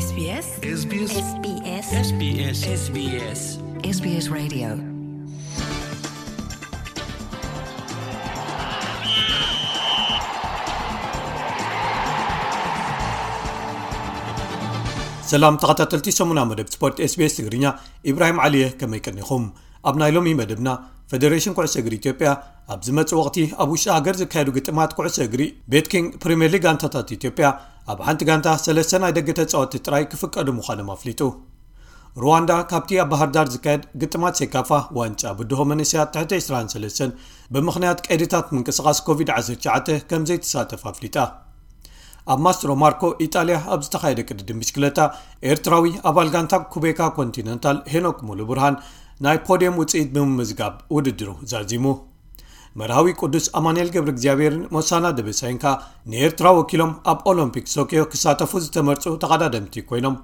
SBS SBS SBS SBS SBS SBS Radio. ሰላም ተኸታተልቲ ሰሙና መደብ ስፖርት SBS ትግርኛ፣ ኢብራሂም ዓሊየ፣ ከመይ ቀኒኹም? ኣብ ናይ ሎሚ መደብና፣ ፈደሬሽን ኩዕሶ እግሪ ኢትዮጵያ ኣብ ዝመጽእ ወቕቲ ኣብ ውሽጢ ሃገር ዝካየዱ ግጥማት ኩዕሶ እግሪ ቤት ኪንግ ፕሪምየር ሊግ ጋንታታት ኢትዮጵያ ኣብ ሓንቲ ጋንታ ሰለስተ ናይ ደገ ተጻወትቲ ጥራይ ክፍቀዱ ምዃኖም ኣፍሊጡ። ሩዋንዳ ካብቲ ኣብ ባህር ዳር ዝካየድ ግጥማት ሴካፋ ዋንጫ ብድሆ መንእሰያት ትሕቲ ዕስራን ሰለስተን ብምኽንያት ቀይድታት ምንቅስቓስ ኮቪድ ዓሰርተ ትሽዓተ ከም ዘይትሳተፍ ኣፍሊጣ። ኣብ ማስትሮ ማርኮ ኢጣልያ ኣብ ዝተኻየደ ቅድድም ብሽክለታ፣ ኤርትራዊ ኣባል ጋንታ ኩቤካ ኮንቲነንታል ሄኖክ ሙሉ ብርሃን ናይ ፖድየም ውጽኢት ብምምዝጋብ ውድድሩ ዛዚሙ። መርሃዊ ቅዱስ ኣማኑኤል ገብረ እግዚኣብሔርን ሞሳና ደበሳይን ከኣ ንኤርትራ ወኪሎም ኣብ ኦሎምፒክ ቶኪዮ ክሳተፉ ዝተመርጹ ተቐዳደምቲ ኮይኖም፣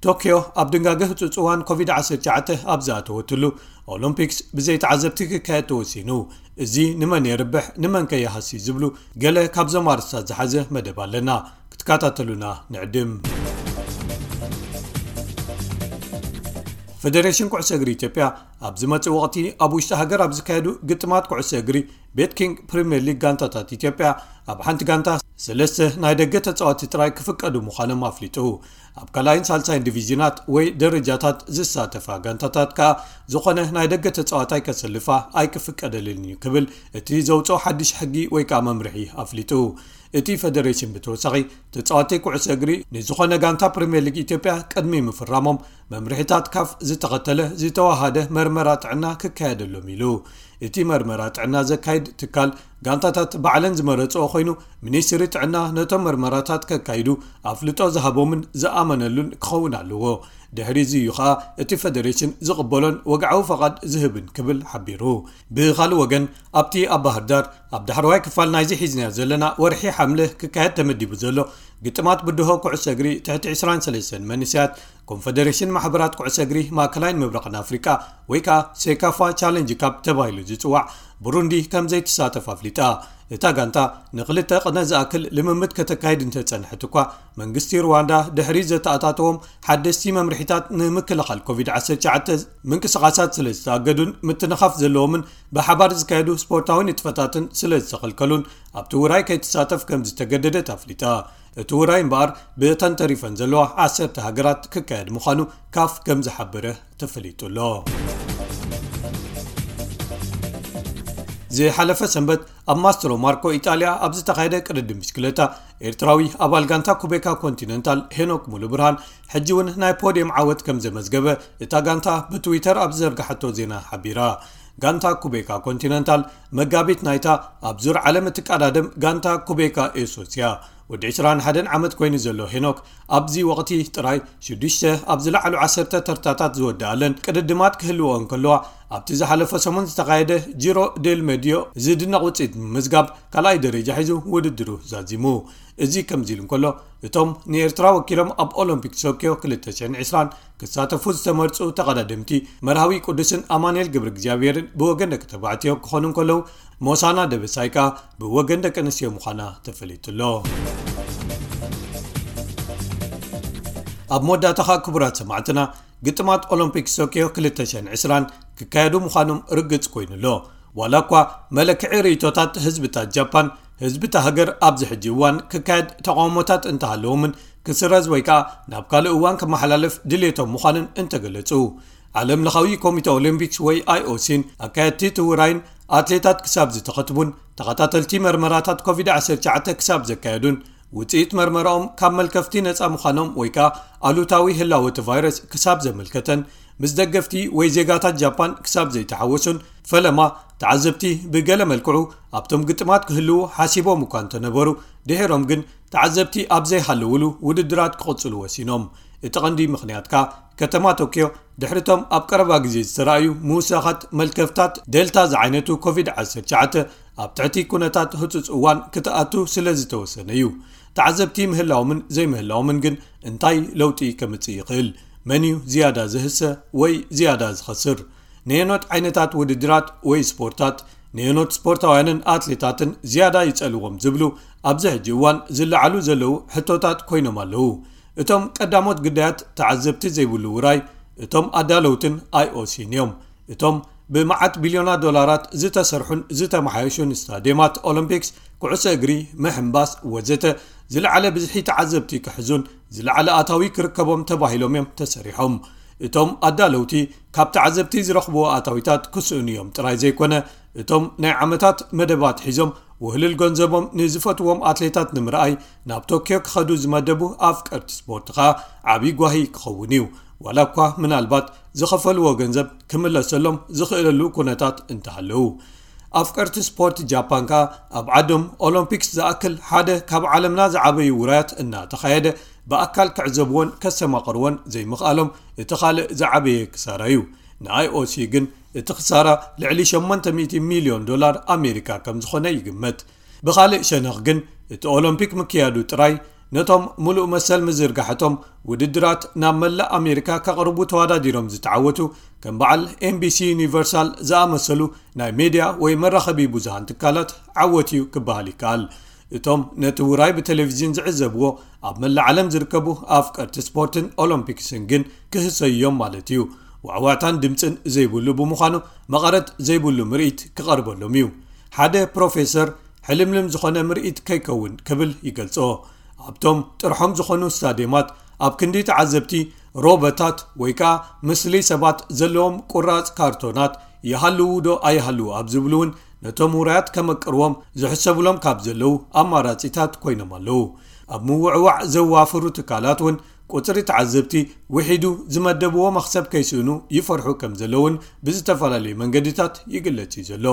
ቶኪዮ ኣብ ድንጋገ ህጹጽ እዋን ኮቪድ ዓሰርተ ትሽዓተ ኣብ ዝኣተወትሉ፣ ኦሎምፒክስ ብዘይ ተዓዘብቲ ክካየድ ተወሲኑ። እዚ ንመን የርብሕ፣ ንመን ከ ይሃሲ ዝብሉ ገለ ካብዞም ኣርእስታት ዝሓዘ መደብ ኣለና። ክትከታተሉና ንዕድም። ፈደሬሽን ኩዕሶ እግሪ ኢትዮጵያ ኣብ ዝመጽእ ወቕቲ ኣብ ውሽጢ ሃገር ኣብ ዝካየዱ ግጥማት ኩዕሶ እግሪ ቤት ኪንግ ፕሪምየር ሊግ ጋንታታት ኢትዮጵያ ኣብ ሓንቲ ጋንታ ሰለስተ ናይ ደገ ተጻወትቲ ጥራይ ክፍቀዱ ምዃኖም ኣፍሊጡ። ኣብ ካልኣይን ሳልሳይን ዲቪዥናት ወይ ደረጃታት ዝሳተፋ ጋንታታት ከኣ ዝኾነ ናይ ደገ ተጻዋታይ ከሰልፋ ኣይክፍቀደልን እዩ ክብል እቲ ዘውጽኦ ሓድሽ ሕጊ ወይ ከኣ መምርሒ ኣፍሊጡ። እቲ ፈደሬሽን ብተወሳኺ ተጻወትቲ ኩዕሶ እግሪ ንዝኾነ ጋንታ ፕሪምየር ሊግ ኢትዮጵያ ቅድሚ ምፍራሞም መምርሒታት ካፍ ዝተኸተለ ዝተዋሃደ መርመራ ጥዕና ክካየደሎም ኢሉ። እቲ መርመራ ጥዕና ዘካይድ ትካል ጋንታታት ባዕለን ዝመረጽኦ ኮይኑ፣ ሚኒስትሪ ጥዕና ነቶም መርመራታት ከካይዱ ኣፍልጦ ዝሃቦምን ዝኣመነሉን ክኸውን ኣለዎ። ድሕሪ እዚ እዩ ኸኣ እቲ ፈደሬሽን ዝቕበሎን ወግዓዊ ፈቓድ ዝህብን ክብል ሓቢሩ። ብኻልእ ወገን፣ ኣብቲ ኣብ ባህር ዳር ኣብ ዳሕረዋይ ክፋል ናይዚ ሒዝናዮ ዘለና ወርሒ ሓምለ ክካየድ ተመዲቡ ዘሎ ግጥማት ብድሆ ኩዕሶ እግሪ ትሕቲ ዕስራን ሰለስተን መንእሰያት ኮንፈደሬሽን ማሕበራት ኩዕሶ እግሪ ማእከላይን ምብራቕን ኣፍሪቃ ወይ ከኣ ሴካፋ ቻለንጅ ካፕ ተባሂሉ ዝጽዋዕ፣ ብሩንዲ ከም ዘይትሳተፍ ኣፍሊጣ። እታ ጋንታ ንኽልተ ቅነ ዝኣክል ልምምድ ከተካይድ እንተጸንሐት እኳ፣ መንግስቲ ሩዋንዳ ድሕሪ ዘተኣታተዎም ሓደስቲ መምርሒታት ንምክልኻል ኮቪድ ዓሰርተ ትሽዓተ ምንቅስቓሳት ስለ ዝተኣገዱን ምትንኻፍ ዘለዎምን ብሓባር ዝካየዱ ስፖርታዊ ንጥፈታትን ስለ ዝተኸልከሉን ኣብቲ ውራይ ከይትሳተፍ ከም ዝተገደደት ኣፍሊጣ። እቲ ውራይ እምበኣር ብእተን ተሪፈን ዘለዋ ዓሰርተ ሃገራት ክካየድ ምዃኑ ካፍ ከም ዝሓበረ ተፈሊጡ ኣሎ። ዝሓለፈ ሰንበት ኣብ ማስትሮ ማርኮ ኢጣልያ ኣብ ዝተኻየደ ቅድድም ብሽክለታ፣ ኤርትራዊ ኣባል ጋንታ ኩቤካ ኮንቲነንታል ሄኖክ ሙሉ ብርሃን ሕጂ እውን ናይ ፖድየም ዓወት ከም ዘመዝገበ እታ ጋንታ ብትዊተር ኣብ ዝዘርግሓቶ ዜና ሓቢራ። ጋንታ ኩቤካ ኮንቲነንታል መጋቢት ናይታ ኣብ ዙር ዓለም እትቀዳደም ጋንታ ኩቤካ ኤሶስ እያ። ወዲ ዕስራን ሓደን ዓመት ኮይኑ ዘሎ ሄኖክ ኣብዚ ወቕቲ ጥራይ ሽዱሽተ ኣብ ዝለዓሉ ዓሰርተ ተርታታት ዝወደኣለን ቅድድማት ክህልዎ እንከለዋ፣ ኣብቲ ዝሓለፈ ሰሙን ዝተኻየደ ጂሮ ዴል መድዮ ዝድነቕ ውፅኢት ብምምዝጋብ ካልኣይ ደረጃ ሒዙ ውድድሩ ዛዚሙ። እዚ ከምዚ ኢሉ እንከሎ፣ እቶም ንኤርትራ ወኪሎም ኣብ ኦሎምፒክ ቶኪዮ ክልተ ሽሕን ዕስራን ክሳተፉ ዝተመርጹ ተቐዳደምቲ መርሃዊ ቅዱስን ኣማኑኤል ገብረ እግዚኣብሔርን ብወገን ደቂ ተባዕትዮ ክኾኑ እንከለዉ፣ ሞሳና ደበሳይ ከኣ ብወገን ደቂ ኣንስትዮ ምዃና ተፈሊጡ ኣሎ። ኣብ መወዳእታ ከኣ ክቡራት ሰማዕትና፣ ግጥማት ኦሎምፒክ ቶኪዮ ክልተ ሽሕን ዕስራን ክካየዱ ምዃኖም ርግጽ ኮይኑ ኣሎ። ዋላ እኳ መለክዒ ርእይቶታት ህዝብታት ጃፓን፣ ህዝብታ ሃገር ኣብዚ ሕጂ እዋን ክካየድ ተቃውሞታት እንተሃለዎምን ክስረዝ ወይ ከኣ ናብ ካልእ እዋን ክመሓላለፍ ድልየቶም ምዃንን እንተገለጹ፣ ዓለም ለኻዊ ኮሚተ ኦሊምፒክስ ወይ ኣይኦሲን ኣካየድቲ እቲ ውራይን ኣትሌታት ክሳብ ዝተኸትቡን ተኸታተልቲ መርመራታት ኮቪድ ዓሰርተ ትሽዓተ ክሳብ ዘካየዱን ውጽኢት መርመራኦም ካብ መልከፍቲ ነጻ ምዃኖም ወይ ከኣ ኣሉታዊ ህላወ እቲ ቫይረስ ክሳብ ዘመልከተን ምስ ደገፍቲ ወይ ዜጋታት ጃፓን ክሳብ ዘይተሓወሱን፣ ፈለማ ተዓዘብቲ ብገለ መልክዑ ኣብቶም ግጥማት ክህልዉ ሓሲቦም እኳ እንተነበሩ፣ ድሒሮም ግን ተዓዘብቲ ኣብ ዘይሃለውሉ ውድድራት ክቕጽሉ ወሲኖም። እቲ ቀንዲ ምኽንያት ከኣ ከተማ ቶክዮ ድሕሪቶም ኣብ ቀረባ ግዜ ዝተራእዩ ምውሳኻት መልከፍታት ዴልታ ዝዓይነቱ ኮቪድ ዓሰርተ ትሽዓተ ኣብ ትሕቲ ኩነታት ህጹጽ እዋን ክትኣቱ ስለ ዝተወሰነ እዩ። ተዓዘብቲ ምህላዎምን ዘይምህላዎምን ግን እንታይ ለውጢ ከምጽእ ይኽእል? መን እዩ ዝያዳ ዝህሰ ወይ ዝያዳ ዝኸስር? ነየኖት ዓይነታት ውድድራት ወይ ስፖርታት፣ ነየኖት ስፖርታውያንን ኣትሌታትን ዝያዳ ይጸልዎም ዝብሉ ኣብዚ ሕጂ እዋን ዝለዓሉ ዘለዉ ሕቶታት ኮይኖም ኣለዉ። እቶም ቀዳሞት ግዳያት ተዓዘብቲ ዘይብሉ ውራይ እቶም ኣዳለውትን ኣይኦሲን እዮም። እቶም ብመዓት ቢልዮናት ዶላራት ዝተሰርሑን ዝተመሓየሹን ስታድየማት ኦሎምፒክስ፣ ኩዕሶ እግሪ፣ ምሕንባስ ወዘተ ዝለዓለ ብዝሒ ተዓዘብቲ ክሕዙን ዝለዓለ ኣታዊ ክርከቦም ተባሂሎም እዮም ተሰሪሖም። እቶም ኣዳለውቲ ካብ ተዓዘብቲ ዝረኽብዎ ኣታዊታት ክስእኑ እዮም ጥራይ ዘይኮነ፣ እቶም ናይ ዓመታት መደባት ሒዞም ውህልል ገንዘቦም ንዝፈትዎም ኣትሌታት ንምርኣይ ናብ ቶክዮ ክኸዱ ዝመደቡ ኣፍቀርቲ ስፖርት ኸኣ ዓብዪ ጓሂ ክኸውን እዩ። ዋላ እኳ ምናልባት ዝኸፈልዎ ገንዘብ ክምለሰሎም ዝኽእለሉ ኩነታት እንተሃለዉ። ኣፍቀርቲ ስፖርት ጃፓን ከኣ ኣብ ዓዶም ኦሎምፒክስ ዝኣክል ሓደ ካብ ዓለምና ዝዓበዩ ውራያት እናተኻየደ ብኣካል ክዕዘብዎን ከስተማቕርዎን ዘይምኽኣሎም እቲ ካልእ ዝዓበየ ክሳራ እዩ። ንኣይኦሲ ግን እቲ ክሳራ ልዕሊ ሸሞንተ ሚእቲ ሚልዮን ዶላር ኣሜሪካ ከም ዝኾነ ይግመት። ብኻልእ ሸነኽ ግን እቲ ኦሎምፒክ ምክያዱ ጥራይ ነቶም ሙሉእ መሰል ምዝርጋሕቶም ውድድራት ናብ መላእ ኣሜሪካ ከቕርቡ ተወዳዲሮም ዝተዓወቱ ከም በዓል ኤንቢሲ ዩኒቨርሳል ዝኣመሰሉ ናይ ሜድያ ወይ መራኸቢ ብዙሃን ትካላት ዓወት እዩ ክበሃል ይከኣል። እቶም ነቲ ውራይ ብቴሌቪዥን ዝዕዘብዎ ኣብ መላእ ዓለም ዝርከቡ ኣፍቀርቲ ስፖርትን ኦሎምፒክስን ግን ክህሰዩ እዮም ማለት እዩ። ዋዕዋዕታን ድምፅን ዘይብሉ ብምዃኑ መቐረት ዘይብሉ ምርኢት ክቐርበሎም እዩ። ሓደ ፕሮፌሰር ሕልምልም ዝኾነ ምርኢት ከይከውን ክብል ይገልጾ። ኣብቶም ጥርሖም ዝኾኑ ስታድየማት ኣብ ክንዲ ተዓዘብቲ ሮቦታት ወይ ከኣ ምስሊ ሰባት ዘለዎም ቁራጽ ካርቶናት ይሃልዉ ዶ ኣይሃልዉ ኣብ ዝብሉ እውን ነቶም ውራያት ከመቅርዎም ዝሕሰብሎም ካብ ዘለዉ ኣማራጺታት ኮይኖም ኣለዉ። ኣብ ምውዕዋዕ ዘዋፍሩ ትካላት እውን ቁጽሪ ተዓዘብቲ ውሒዱ ዝመደብዎ መኽሰብ ከይስእኑ ይፈርሑ ከም ዘለውን ብዝተፈላለዩ መንገድታት ይግለጽ እዩ ዘሎ።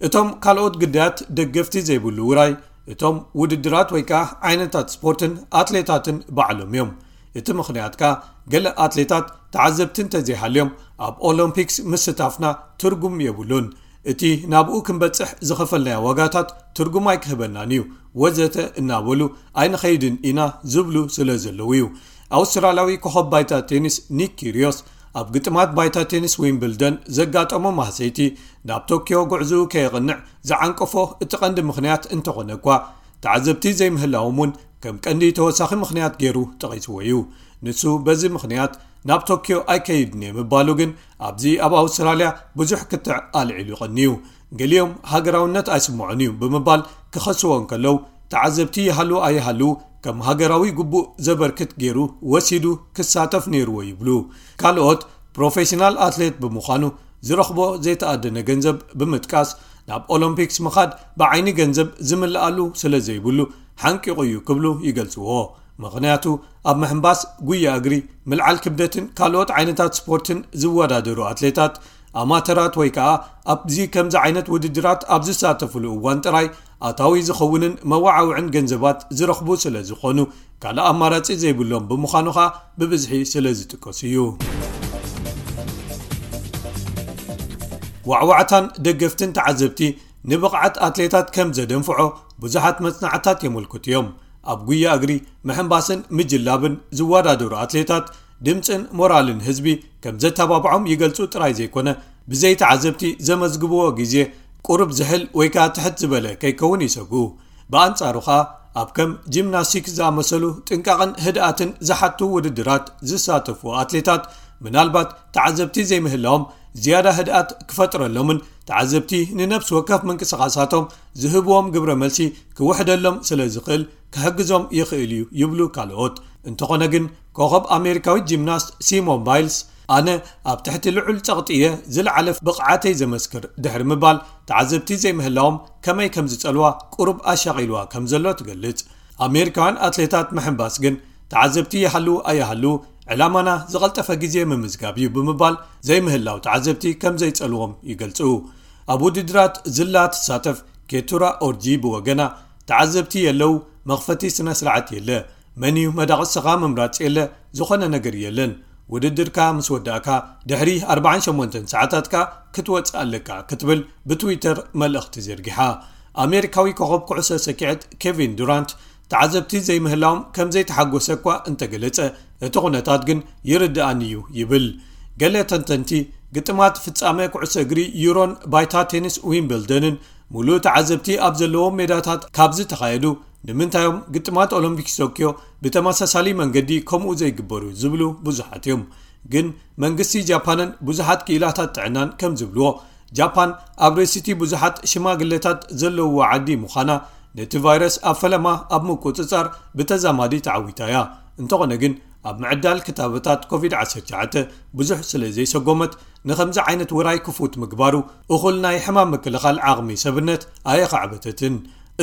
እቶም ካልኦት ግዳያት ደገፍቲ ዘይብሉ ውራይ እቶም ውድድራት ወይ ከኣ ዓይነታት ስፖርትን ኣትሌታትን ባዕሎም እዮም። እቲ ምኽንያት ከኣ ገለ ኣትሌታት ተዓዘብቲ እንተዘይሃልዮም ኣብ ኦሎምፒክስ ምስታፍና ትርጉም የብሉን። እቲ ናብኡ ክንበጽሕ ዝኸፈልናዮ ዋጋታት ትርጉም ኣይክህበናን እዩ ወዘተ እናበሉ ኣይንኸይድን ኢና ዝብሉ ስለ ዘለዉ እዩ። ኣውስትራልያዊ ኮኸብ ባይታ ቴኒስ ኒክ ኪርዮስ ኣብ ግጥማት ባይታ ቴኒስ ዊምብልደን ዘጋጠሞ ማህሰይቲ ናብ ቶክዮ ጉዕዝኡ ከየቕንዕ ዝዓንቀፎ እቲ ቀንዲ ምኽንያት እንተኾነ እኳ ተዓዘብቲ ዘይምህላዎም እውን ከም ቀንዲ ተወሳኺ ምኽንያት ገይሩ ጠቒስዎ እዩ። ንሱ በዚ ምኽንያት ናብ ቶክዮ ኣይከይድን እየ ምባሉ ግን ኣብዚ ኣብ ኣውስትራልያ ብዙሕ ክትዕ ኣልዒሉ ይቐንዩ። ገሊኦም ሃገራውነት ኣይስምዖን እዩ ብምባል ክኸስዎ እንከለዉ ተዓዘብቲ ይሃልዉ ኣይሃልዉ ከም ሃገራዊ ግቡእ ዘበርክት ገይሩ ወሲዱ ክሳተፍ ነይርዎ ይብሉ። ካልኦት ፕሮፌሽናል ኣትሌት ብምዃኑ ዝረኽቦ ዘይተኣደነ ገንዘብ ብምጥቃስ ናብ ኦሎምፒክስ ምኻድ ብዓይኒ ገንዘብ ዝምልኣሉ ስለ ዘይብሉ ሓንቂቑ እዩ ክብሉ ይገልጽዎ። ምኽንያቱ ኣብ ምሕንባስ፣ ጉያ እግሪ፣ ምልዓል ክብደትን ካልኦት ዓይነታት ስፖርትን ዝወዳደሩ ኣትሌታት ኣማተራት ወይ ከኣ ኣብዚ ከምዚ ዓይነት ውድድራት ኣብ ዝሳተፍሉ እዋን ጥራይ ኣታዊ ዝኸውንን መዋዓውዕን ገንዘባት ዝረኽቡ ስለ ዝኾኑ ካልእ ኣማራጺ ዘይብሎም ብምዃኑ ኸኣ ብብዝሒ ስለ ዝጥቀሱ እዩ። ዋዕዋዕታን ደገፍትን ተዓዘብቲ ንብቕዓት ኣትሌታት ከም ዘደንፍዖ ብዙሓት መጽናዕታት የመልክቱ እዮም። ኣብ ጉያ እግሪ፣ ምሕንባስን ምጅላብን ዝወዳደሩ ኣትሌታት ድምፅን ሞራልን ህዝቢ ከም ዘተባብዖም ይገልፁ ጥራይ ዘይኮነ ብዘይ ተዓዘብቲ ዘመዝግብዎ ግዜ ቁሩብ ዝሕል ወይ ከዓ ትሕት ዝበለ ከይከውን ይሰግኡ። ብኣንፃሩ ከዓ ኣብ ከም ጂምናስቲክስ ዝኣመሰሉ ጥንቃቕን ህድኣትን ዝሓቱ ውድድራት ዝሳተፉ ኣትሌታት ምናልባት ተዓዘብቲ ዘይምህላዎም ዝያዳ ህድኣት ክፈጥረሎምን ተዓዘብቲ ንነብሲ ወከፍ ምንቅስቓሳቶም ዝህብዎም ግብረ መልሲ ክውሕደሎም ስለ ዝኽእል ክሕግዞም ይኽእል እዩ ይብሉ ካልኦት። እንተኾነ ግን ኮኸብ ኣሜሪካዊት ጂምናስት ሲሞን ባይልስ ኣነ ኣብ ትሕቲ ልዑል ጸቕጢ እየ ዝለዓለ ብቕዓተይ ዘመስክር ድሕሪ ምባል ተዓዘብቲ ዘይምህላዎም ከመይ ከም ዝጸልዋ ቁሩብ ኣሻቒልዋ ከም ዘሎ ትገልጽ። ኣሜሪካውያን ኣትሌታት ምሕንባስ ግን ተዓዘብቲ ይሃልዉ ኣይሃልዉ ዕላማና ዝቐልጠፈ ግዜ ምምዝጋብ እዩ ብምባል ዘይምህላው ተዓዘብቲ ከም ዘይጸልዎም ይገልጹ። ኣብ ውድድራት ዝላ ትሳተፍ ኬቱራ ኦርጂ ብወገና ተዓዘብቲ የለው፣ መኽፈቲ ስነ ስርዓት የለ፣ መን እዩ መዳቕስኻ ምምራጽ የለ፣ ዝኾነ ነገር የለን። ውድድርካ ምስ ወዳእካ ድሕሪ ኣርባዓን ሸሞንተን ሰዓታትካ ክትወጽእ ኣለካ ክትብል ብትዊተር መልእኽቲ ዘርጊሓ። ኣሜሪካዊ ኮኸብ ኩዕሶ ሰኪዐት ኬቪን ዱራንት ተዓዘብቲ ዘይምህላዎም ከም ዘይተሓጎሰ እኳ እንተገለጸ እቲ ኩነታት ግን ይርድኣኒ እዩ ይብል። ገለ ተንተንቲ ግጥማት ፍጻመ ኩዕሶ እግሪ ዩሮን ባይታ ቴኒስ ዊምብልደንን ሙሉእ ተዓዘብቲ ኣብ ዘለዎም ሜዳታት ካብ ዝተኻየዱ ንምንታይ እዮም ግጥማት ኦሎምፒክስ ቶኪዮ ብተመሳሳሊ መንገዲ ከምኡ ዘይግበሩ ዝብሉ ብዙሓት እዮም። ግን መንግስቲ ጃፓንን ብዙሓት ክኢላታት ጥዕናን ከም ዝብልዎ፣ ጃፓን ኣብ ርእሲቲ ብዙሓት ሽማግለታት ዘለውዋ ዓዲ ምዃና፣ ነቲ ቫይረስ ኣብ ፈለማ ኣብ ምቁጽጻር ብተዛማዲ ተዓዊታ እያ። እንተኾነ ግን፣ ኣብ ምዕዳል ክታበታት ኮቪድ ዓሰርተ ትሽዓተ ብዙሕ ስለ ዘይሰጎመት፣ ንኸምዚ ዓይነት ውራይ ክፉት ምግባሩ እኹል ናይ ሕማም ምክልኻል ዓቕሚ ሰብነት ኣየኻዕበተትን።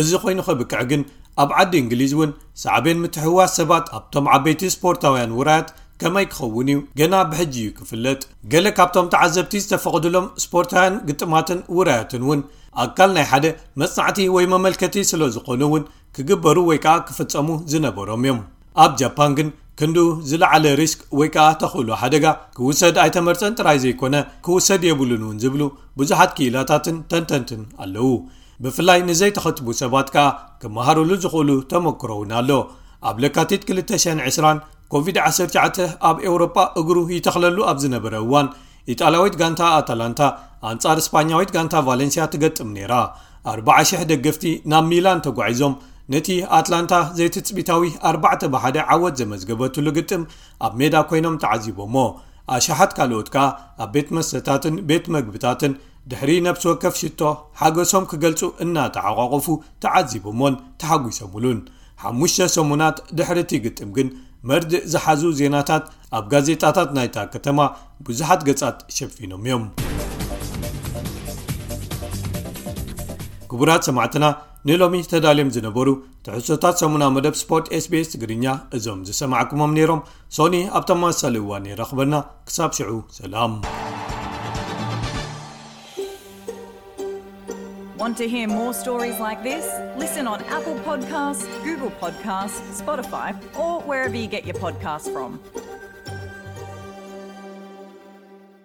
እዚ ኮይኑ ከብቅዕ ግን፣ ኣብ ዓዲ እንግሊዝ እውን ሳዕቤን ምትሕውዋስ ሰባት ኣብቶም ዓበይቲ ስፖርታውያን ውራያት ከመይ ክኸውን እዩ ገና ብሕጂ እዩ ክፍለጥ። ገለ ካብቶም ተዓዘብቲ ዝተፈቕድሎም ስፖርታውያን ግጥማትን ውራያትን እውን ኣካል ናይ ሓደ መጽናዕቲ ወይ መመልከቲ ስለ ዝኾኑ እውን ክግበሩ ወይ ከዓ ክፍጸሙ ዝነበሮም እዮም። ኣብ ጃፓን ግን ክንዱ ዝለዓለ ሪስክ ወይ ከዓ ተኽእሎ ሓደጋ ክውሰድ ኣይተመርጸን ጥራይ ዘይኮነ ክውሰድ የብሉን እውን ዝብሉ ብዙሓት ክኢላታትን ተንተንትን ኣለዉ። ብፍላይ ንዘይተኸትቡ ሰባት ከዓ ክመሃሩሉ ዝኽእሉ ተመክሮ እውን ኣሎ። ኣብ ለካቲት ክልተ ሽሕን ዕስራን ኮቪድ ዓሰርተ ትሽዓተ ኣብ ኤውሮጳ እግሩ ይተኽለሉ ኣብ ዝነበረ እዋን፣ ኢጣልያዊት ጋንታ ኣታላንታ ኣንጻር ስፓኛዊት ጋንታ ቫሌንሲያ ትገጥም ነይራ። ኣርባዓ ሽሕ ደገፍቲ ናብ ሚላን ተጓዒዞም ነቲ ኣትላንታ ዘይትጽቢታዊ ኣርባዕተ ብ ሓደ ዓወት ዘመዝገበትሉ ግጥም ኣብ ሜዳ ኮይኖም ተዓዚቦሞ። ኣሽሓት ካልኦት ከኣ ኣብ ቤት መስተታትን ቤት መግብታትን ድሕሪ ነፍሲ ወከፍ ሽቶ ሓጎሶም ክገልጹ እናተዓቋቆፉ ተዓዚቦሞን ተሓጒሶምሉን። ሓሙሽተ ሰሙናት ድሕሪ እቲ ግጥም ግን መርድእ ዝሓዙ ዜናታት ኣብ ጋዜጣታት ናይታ ከተማ ብዙሓት ገጻት ሸፊኖም እዮም። ክቡራት ሰማዕትና፣ ንሎሚ ተዳልዮም ዝነበሩ ትሕዝቶታት ሰሙና መደብ ስፖርት ኤስቢኤስ ትግርኛ እዞም ዝሰማዕኩሞም ነይሮም። ሶኒ ኣብ ተመሳሳሊ እዋን የራኽበና። ክሳብ ሽዑ ሰላም። Want to hear more stories like this? Listen on Apple Podcasts, Google Podcasts, Spotify, or wherever you get your podcasts from.